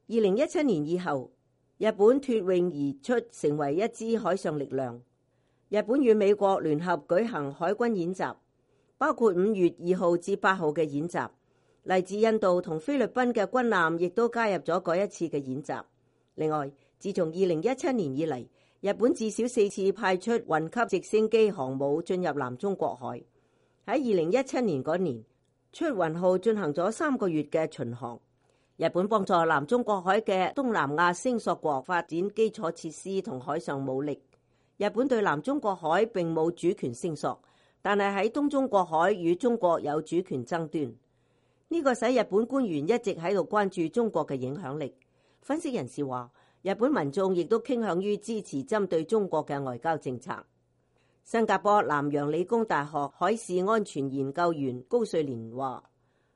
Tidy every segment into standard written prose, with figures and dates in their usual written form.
2017年以後，日本脫穎而出，成為一支海上力量。日本與美國聯合舉行海軍演習，包括5月2號至8號嘅演習。嚟自印度同菲律賓嘅軍艦亦都加入咗嗰一次嘅演習。另外，自從2017年以嚟，日本至少4次派出運級直升機航母進入南中國海。喺2017年嗰年，出雲號進行咗3個月嘅巡航。日本幫助南中國海嘅東南亞星索國發展基礎設施同海上武力。日本對南中國海並冇主權聲索，但係喺東中國海與中國有主權爭端。呢個使日本官員一直喺度關注中國嘅影響力。分析人士話，日本民眾亦都傾向於支持針對中國嘅外交政策。新加坡南洋理工大學海事安全研究員高瑞蓮話，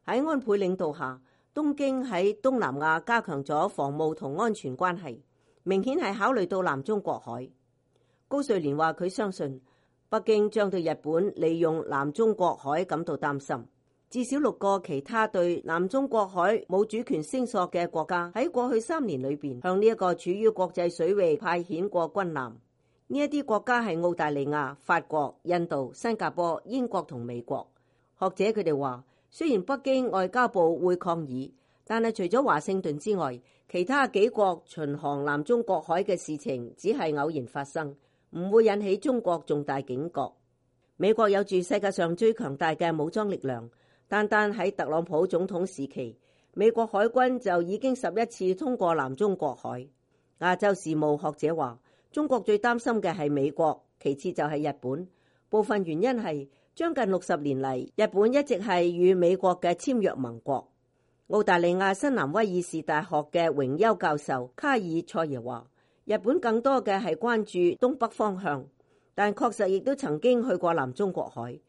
喺安倍領導下，東京喺東南亞加強咗防務同安全關係，明顯係考慮到南中國海。高瑞蓮話，佢相信北京將對日本利用南中國海感到擔心。至少6個其他對南中國海冇主權聲索嘅國家喺過去3年裏邊向呢一個處於國際水域派遣過軍艦。呢一啲國家係澳大利亞、法國、印度、新加坡、英國同美國。學者佢哋話，雖然北京外交部會抗議，但係除咗華盛頓之外，其他幾國巡航南中國海嘅事情只係偶然發生，唔會引起中國重大警覺。美國有住世界上最強大嘅武裝力量。單單喺特朗普總統時期，美國海軍就已經11次通過南中國海。亞洲事務學者話，中國最擔心嘅係美國，其次就係日本。部分原因係將近60年嚟，日本一直係與美國嘅簽約盟國。澳大利亞新南威爾士大學嘅榮休教授卡爾塞耶話，日本更多嘅係關注東北方向，但確實亦都曾經去過南中國海。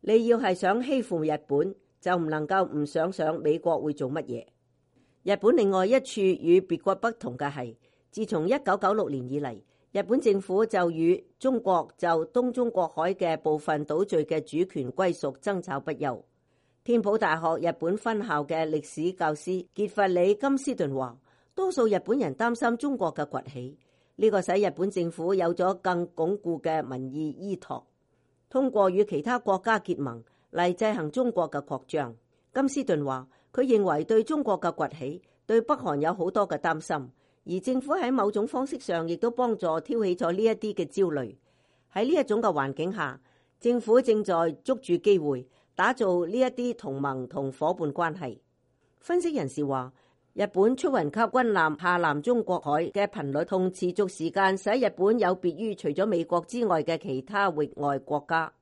你要係想欺負日本，就唔能夠唔想想美國會做乜嘢。日本另外一處與別國不同嘅係，自從1996年以嚟，日本政府就與中國就東中國海嘅部分島嶼嘅主權歸屬爭吵不休。天普大學日本分校嘅歷史教師傑弗里金斯頓話，多數日本人擔心中國嘅崛起，呢個使日本政府有咗更鞏固嘅民意依託，通過與其他國家結盟嚟制衡中國嘅擴張。金斯頓話，佢認為對中國嘅崛起對北韓有好多嘅擔心，而政府喺某種方式上亦都幫助挑起咗呢一啲嘅焦慮。喺呢一種嘅環境下，政府正在捉住機會打造呢一啲同盟同夥伴關係。分析人士話，日本出雲級軍艦下南中國海嘅頻率同持續時間使日本有別於除咗美國之外嘅其他域外國家。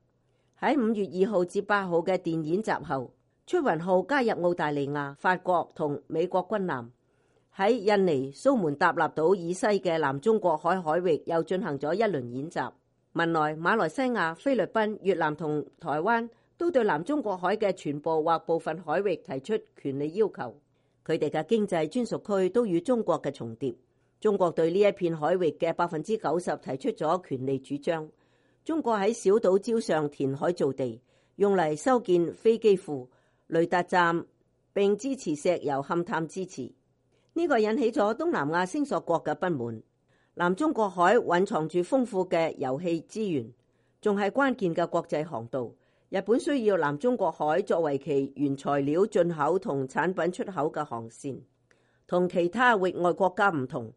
喺5月2號至8號嘅電演習後，出雲號加入澳大利亞、法國同美國軍艦，喺印尼蘇門答臘島以西嘅南中國海海域又進行咗一輪演習。文萊、馬來西亞、菲律賓、越南同台灣都對南中國海嘅全部或部分海域提出權利要求，佢哋嘅經濟專屬區都與中國嘅重疊。中國對呢一片海域嘅90%提出咗權利主張。中國喺小島礁上填海造地，用嚟修建飛機庫、雷達站，並支持石油勘探支持。呢個引起咗東南亞星索國嘅不滿。南中國海蘊藏住豐富嘅油氣資源，仲係關鍵嘅國際航道。日本需要南中國海作為其原材料進口同產品出口嘅航線。同其他域外國家唔同，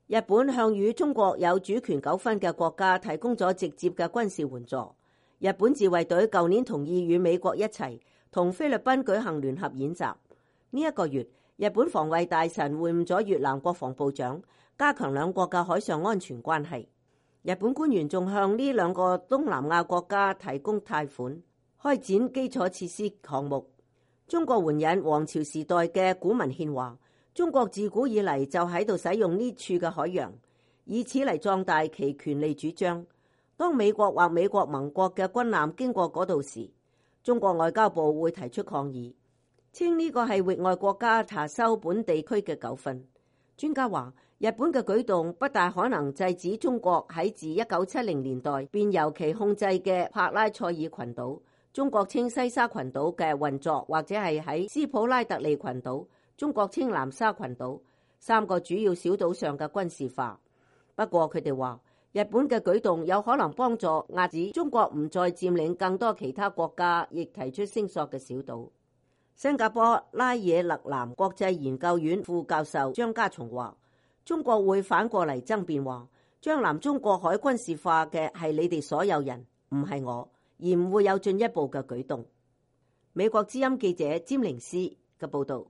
日本向與中國有主權糾紛嘅國家提供咗直接嘅軍事援助。日本自衛隊舊年同意與美國一齊同菲律賓舉行聯合演習。呢一個月，日本防衛大臣會晤咗越南國防部長，加強兩國嘅海上安全關係。日本官員仲向呢兩個東南亞國家提供貸款，開展基礎設施項目。中國援引王朝時代嘅古文獻話，中國自古以嚟就喺度使用呢處嘅海洋，以此嚟壯大其權利主張。當美國或美國盟國嘅軍艦經過嗰度時，中國外交部會提出抗議，稱呢個係域外國家查收本地區嘅糾紛。專家話，日本嘅舉動不大可能制止中國喺自1970年代便由其控制嘅帕拉塞爾群島，中國稱西沙群島嘅運作，或者係喺斯普拉特利群島，中國稱南沙群島， 3個主要小島上嘅軍事化。不過佢哋話，日本嘅舉動有可能幫助遏止中國唔再佔領更多其他國家亦提出聲索嘅小島。新加坡拉惹勒南國際研究院副教授張家松話，中國會反過嚟爭辯話，將南中國海軍事化嘅係你哋所有人，唔係我，而唔會有進一步嘅舉動。美國之音記者詹寧斯嘅報道。